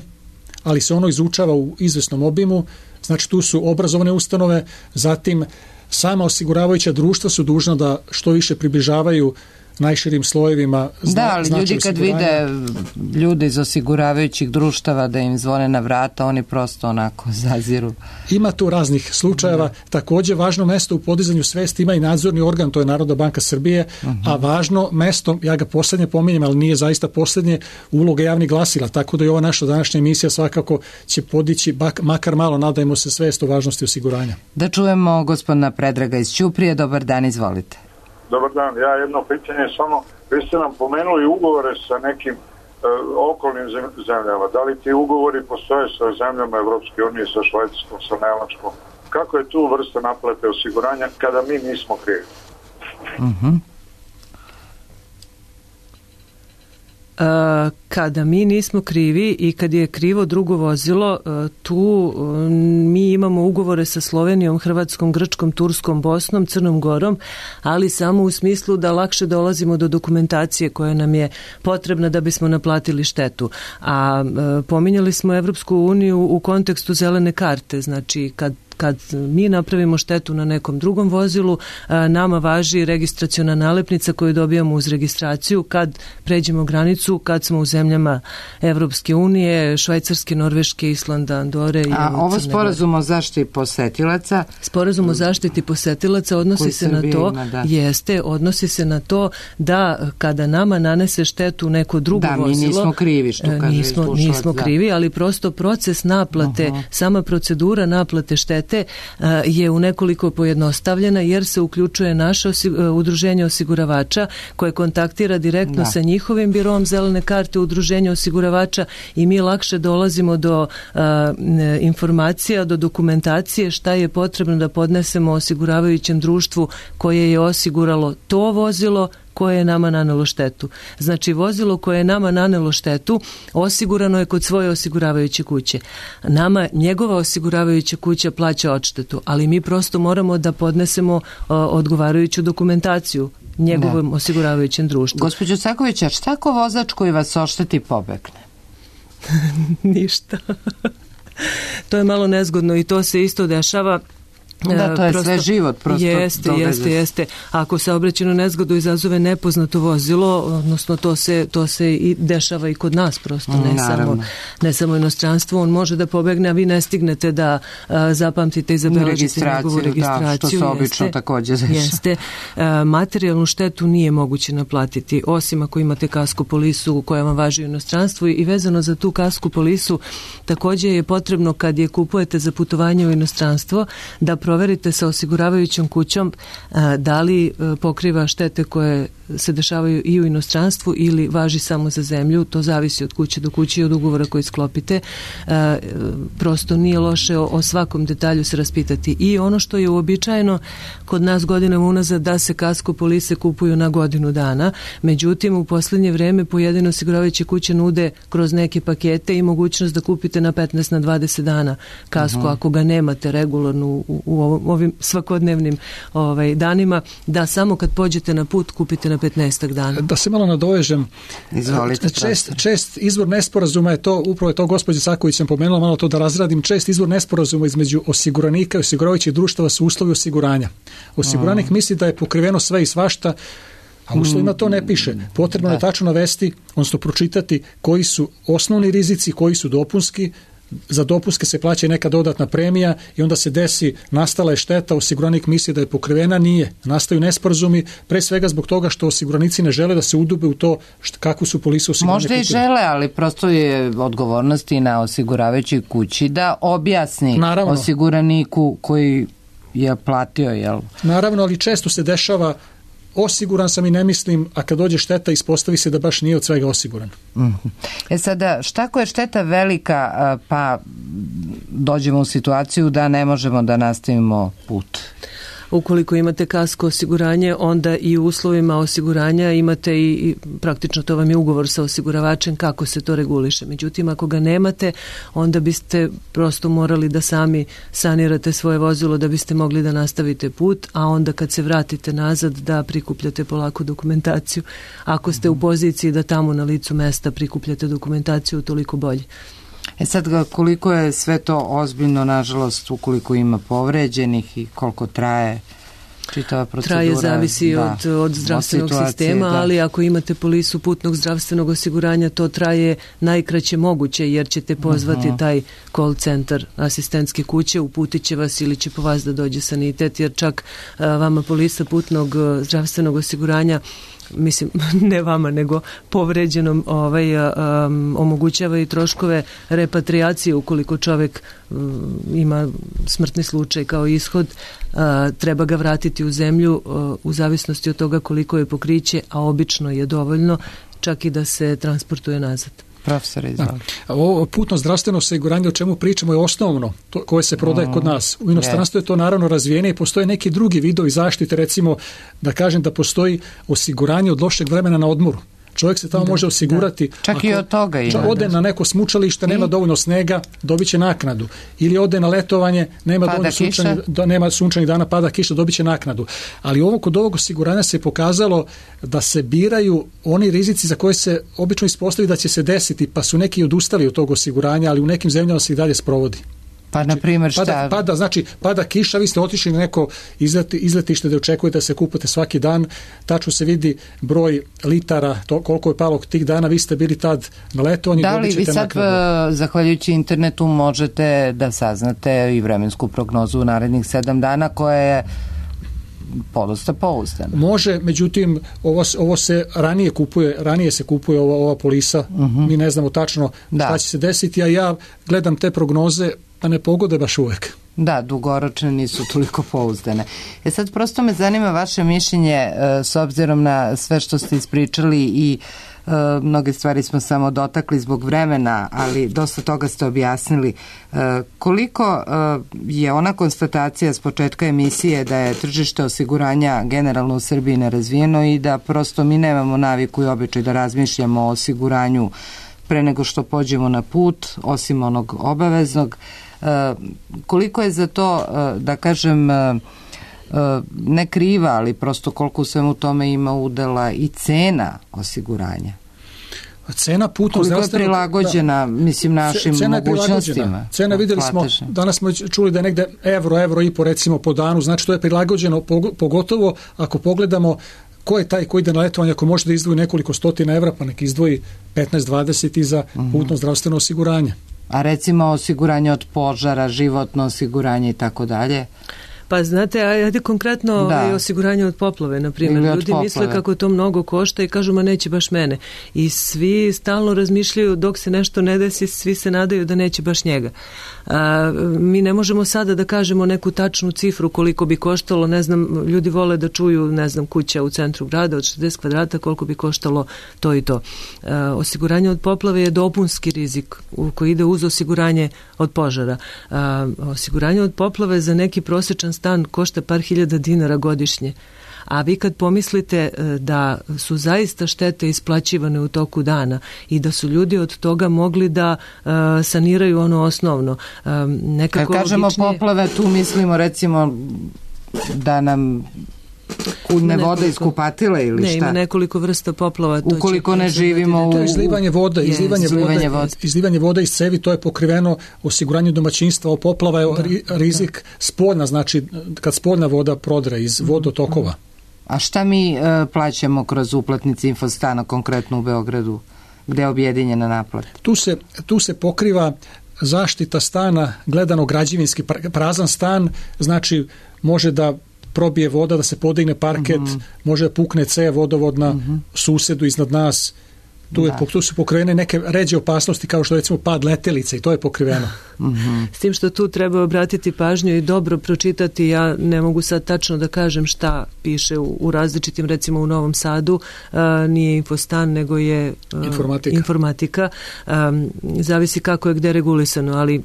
ali se ono izučava u izvesnom obimu. Znači tu su obrazovne ustanove, zatim sama osiguravajuća društva su dužna da što više približavaju najširim slojevima Da, ali ljudi kad vide ljude iz osiguravajućih društava da im zvone na vrata, oni prosto onako zaziru. Ima tu raznih slučajeva. Također važno mesto u podizanju svesti ima i nadzorni organ, to je Narodna banka Srbije, a važno mesto, ja ga poslednje pominjem, ali nije zaista poslednje, uloga javnih glasila, tako da i ova naša današnja emisija svakako će podići, makar malo, nadajmo se, svest o važnosti osiguranja. Da čujemo gospodina Predraga iz Ćuprije. Dobar dan, izvolite. Dobar dan, ja jedno pitanje samo, vi ste nam pomenuli ugovore sa nekim okolnim zemljama. Da li ti ugovori postoje sa zemljama Evropske unije, sa Švajcarskom, sa Nemačkom? Kako je tu vrsta naplate osiguranja kada mi nismo krivi? Kada mi nismo krivi i kad je krivo drugo vozilo, tu mi imamo ugovore sa Slovenijom, Hrvatskom, Grčkom, Turskom, Bosnom, Crnom Gorom, ali samo u smislu da lakše dolazimo do dokumentacije koja nam je potrebna da bismo naplatili štetu. A pominjali smo Evropsku uniju u kontekstu zelene karte, znači kad mi napravimo štetu na nekom drugom vozilu, nama važi registraciona nalepnica koju dobijamo uz registraciju kad pređemo granicu, kad smo u zemlji zemljama Evropske unije, Švajcarske, Norveške, Islanda, Andore i A ovo sporazum o zaštiti posetilaca? Sporazum o zaštiti posetilaca odnosi se na to, odnosi se na to da kada nama nanese štetu neko drugo vozilo, mi nismo krivi, što kaže nismo krivi, ali prosto proces naplate, sama procedura naplate štete je u nekoliko pojednostavljena, jer se uključuje naše udruženje osiguravača koje kontaktira direktno sa njihovim birom zelene karte udruženja osiguravača i mi lakše dolazimo do informacija, do dokumentacije šta je potrebno da podnesemo osiguravajućem društvu koje je osiguralo to vozilo koje je nama nanelo štetu. Znači, vozilo koje je nama nanelo štetu osigurano je kod svoje osiguravajuće kuće. Nama njegova osiguravajuća kuća plaća odštetu, ali mi prosto moramo da podnesemo odgovarajuću dokumentaciju njegovom osiguravajućem društvu. Gospođo Caković, a šta ako vozač koji vas ošteti pobegne? Ništa. To je malo nezgodno i to se isto dešava. Da, to je prosto, sve život. Prosto jeste. Ako saobraćajnu nezgodu izazove nepoznato vozilo, odnosno to se i dešava i kod nas prosto, ne samo inostranstvo, on može da pobegne, a vi ne stignete da zapamtite i zabeležite njegovu registraciju. Da, što se obično također dešava. Jeste. Materijalnu štetu nije moguće naplatiti, osim ako imate kasko polisu koja vam važi u inostranstvu i vezano za tu kasko polisu također je potrebno kad je kupujete za putovanje u inostranstvo da proverite sa osiguravajućom kućom da li pokriva štete koje se dešavaju i u inostranstvu ili važi samo za zemlju. To zavisi od kuće do kuće i od ugovora koji sklopite. Prosto nije loše o svakom detalju se raspitati. I ono što je uobičajeno kod nas godinama unazad da se kasko polise kupuju na godinu dana. Međutim, u posljednje vreme pojedine osiguravajuće kuće nude kroz neke pakete i mogućnost da kupite na 15 na 20 dana kasko ako ga nemate regularno u ovim svakodnevnim danima, da samo kad pođete na put kupite na 15 dana. Da se malo nadovežem. Čest izvor nesporazuma je to, upravo je to gospođa Caković sam pomenula, malo to da razradim, čest izvor nesporazuma između osiguranika i osiguravajućih društava su uslovi osiguranja. Osiguranik misli da je pokriveno sve i svašta, a u uslovima to ne piše. Potrebno je tačno navesti, odnosno pročitati koji su osnovni rizici, koji su dopunski. Za dopunske se plaća neka dodatna premija i onda se desi, nastala je šteta, osiguranik misli da je pokrivena, nije. Nastaju nesporazumi, pre svega zbog toga što osiguranici ne žele da se udube u to kakvu su polisu osiguranja. Možda i žele, ali prosto je odgovornost i na osiguravajućoj kući da objasni osiguraniku koji je platio, jel? Naravno, ali često se dešava osiguran sam i ne mislim, a kad dođe šteta ispostavi se da baš nije od svega osiguran. Sada, šta ako je šteta velika, pa dođemo u situaciju da ne možemo da nastavimo put? Ukoliko imate kasko osiguranje, onda i u uslovima osiguranja imate i praktično to vam je ugovor sa osiguravačem kako se to reguliše. Međutim, ako ga nemate, onda biste prosto morali da sami sanirate svoje vozilo da biste mogli da nastavite put, a onda kad se vratite nazad da prikupljate polako dokumentaciju. Ako ste u poziciji da tamo na licu mesta prikupljate dokumentaciju, toliko bolje. Sad, koliko je sve to ozbiljno, nažalost, ukoliko ima povređenih i koliko traje čitava procedura? Traje, zavisi od zdravstvenog sistema, ali ako imate polisu putnog zdravstvenog osiguranja, to traje najkraće moguće, jer ćete pozvati taj call centar asistentske kuće, uputit će vas ili će po vas da dođe sanitet, jer čak vama polisa putnog zdravstvenog osiguranja, mislim, ne vama, nego povređenom omogućava i troškove repatriacije ukoliko čovjek ima smrtni slučaj kao ishod, treba ga vratiti u zemlju u zavisnosti od toga koliko je pokriće, a obično je dovoljno čak i da se transportuje nazad. Profesor, ovo putno zdravstveno osiguranje o čemu pričamo je osnovno, to koje se prodaje kod nas. U inostranstvu je to naravno razvijenije i postoje neki drugi vidovi zaštite, recimo da kažem da postoji osiguranje od lošeg vremena na odmoru. Čovjek se tamo može osigurati. Čak i od toga ima. Ode na neko smučalište, nema dovoljno snega, dobit će naknadu. Ili ode na letovanje, nema sunčanih dana, pada kiša, dobit će naknadu. Ali kod ovog osiguranja se pokazalo da se biraju oni rizici za koje se obično ispostavi da će se desiti, pa su neki odustali od tog osiguranja, ali u nekim zemljama se i dalje sprovodi. Pa, na primjer, šta? Pada kiša, vi ste otišli na neko izletište da očekujete da se kupate svaki dan, tačno se vidi broj litara, koliko je palo tih dana, vi ste bili tad na letovanju. Da li vi sad, zahvaljujući internetu, možete da saznate i vremensku prognozu u narednih 7 dana koja je podosta pouzdana? Može, međutim, ovo se ranije se kupuje ova polisa, mi ne znamo tačno šta će se desiti, a ja gledam te prognoze, pa ne pogode baš uvek. Da, dugoročne nisu toliko pouzdane. Sad prosto me zanima vaše mišljenje s obzirom na sve što ste ispričali i mnoge stvari smo samo dotakli zbog vremena, ali dosta toga ste objasnili. Koliko je ona konstatacija s početka emisije da je tržište osiguranja generalno u Srbiji nerazvijeno i da prosto mi nemamo naviku i običaj da razmišljamo o osiguranju pre nego što pođemo na put, osim onog obaveznog. Koliko je za to, da kažem, ne kriva, ali prosto koliko u svemu tome ima udela i cena osiguranja? Cena putnog zdravstvenog... Koliko je prilagođena, mislim, našim mogućnostima? Cena, vidjeli smo, danas smo čuli da je negde evro i po recimo po danu, znači to je prilagođeno, pogotovo ako pogledamo ko je taj koji ide na letovanje, ako može da izdvoji nekoliko stotina evra, pa nek izdvoji 15-20 i za putno zdravstveno osiguranje. A recimo osiguranje od požara, životno osiguranje i tako dalje? Pa znate, ajde konkretno osiguranje od poplave, na primjer. Ljudi misle kako to mnogo košta i kažu, ma neće baš mene. I svi stalno razmišljaju, dok se nešto ne desi, svi se nadaju da neće baš njega. Mi ne možemo sada da kažemo neku tačnu cifru koliko bi koštalo, ne znam, ljudi vole da čuju, ne znam, kuća u centru grada od 60 kvadrata, koliko bi koštalo to i to. Osiguranje od poplave je dopunski rizik koji ide uz osiguranje od požara. Osiguranje od poplave za neki prosječan stan košta par hiljada dinara godišnje. A vi kad pomislite da su zaista štete isplaćivane u toku dana i da su ljudi od toga mogli da saniraju ono osnovno. Kad kažemo poplave, tu mislimo recimo da nam kućne vode iz kupatila ili šta? Ne, ima nekoliko vrsta poplava. Ukoliko ne živimo u... To je izlivanje vode iz cevi, to je pokriveno osiguranje domaćinstva. Poplava je rizik spoljna, znači kad spoljna voda prodre iz vodotokova. A šta mi plaćamo kroz uplatnice Infostana, konkretno u Beogradu, gde je objedinjena naplata? Tu se pokriva zaštita stana, gledano građevinski, prazan stan, znači može da probije voda, da se podigne parket, može da pukne cev vodovodna susedu iznad nas. Tu su pokrivene neke ređe opasnosti kao što recimo pad letelice i to je pokriveno. S tim što tu treba obratiti pažnju i dobro pročitati, ja ne mogu sad tačno da kažem šta piše u različitim, recimo u Novom Sadu, nije Infostan nego je informatika. Zavisi kako je gde regulisano, ali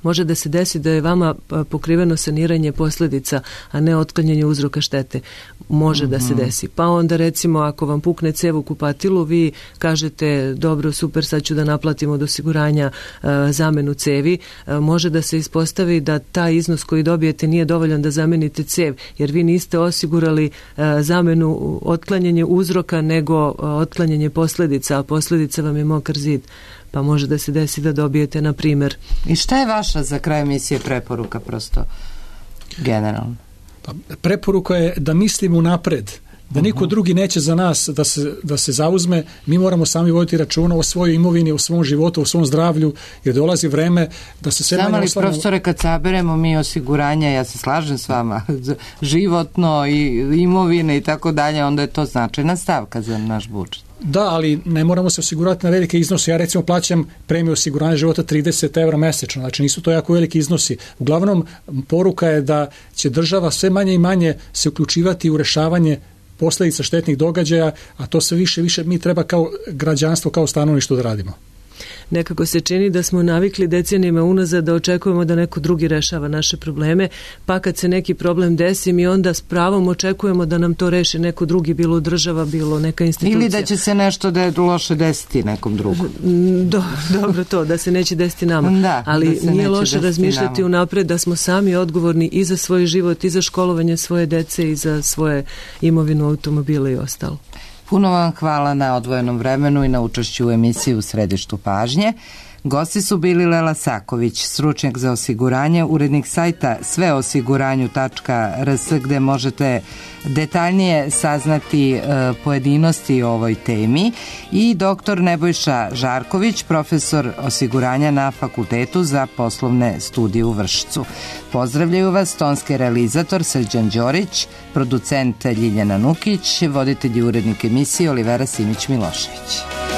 može da se desi da je vama pokriveno saniranje posljedica, a ne otklanjanje uzroka štete. Može da se desi. Pa onda recimo ako vam pukne cev u kupatilu, vi kažete dobro, super, sad ću da naplatim od osiguranja zamenu cevi. Može da se ispostavi da taj iznos koji dobijete nije dovoljan da zamenite cev, jer vi niste osigurali zamenu otklanjanje uzroka, nego otklanjanje posljedica, a posljedica vam je mokar zid. Pa može da se desi da dobijete, na primjer. I šta je vaša za kraj emisije preporuka, prosto generalno? Pa, preporuka je da mislimo unapred, da niko drugi neće za nas da se zauzme, mi moramo sami voditi računa o svojoj imovini, o svom životu, o svom zdravlju, jer dolazi vreme da se sve manje oslanjamo. Samo li, profesore, kad saberemo mi osiguranja, ja se slažem s vama, životno i imovine i tako dalje, onda je to značajna stavka za naš budžet. Da, ali ne moramo se osigurati na velike iznose. Ja recimo plaćam premiju osiguranja života 30 evra mesečno, znači nisu to jako veliki iznosi. Uglavnom, poruka je da će država sve manje i manje se uključivati u rešavanje posljedica štetnih događaja, a to sve više mi treba kao građanstvo, kao stanovništvo da radimo. Nekako se čini da smo navikli decenijama unazad da očekujemo da neko drugi rešava naše probleme, pa kad se neki problem desi mi onda s pravom očekujemo da nam to reši neko drugi, bilo država, bilo neka institucija. Ili da će se nešto da je loše desiti nekom drugom. Dobro to, da se neće desiti nama. Da, ali nije loše razmišljati unapred da smo sami odgovorni i za svoj život, i za školovanje svoje dece, i za svoje imovinu, automobile i ostalo. Puno vam hvala na odvojenom vremenu i na učešću u emisiji U središtu pažnje. Gosti su bili Lela Saković, stručnjak za osiguranje, urednik sajta sveosiguranju.rs gde možete detaljnije saznati pojedinosti o ovoj temi, i dr. Nebojša Žarković, profesor osiguranja na Fakultetu za poslovne studije u Vršcu. Pozdravljaju vas tonski realizator Srđan Đorić, producent Ljiljana Nukić, voditelj i urednik emisije Olivera Simić-Milošević.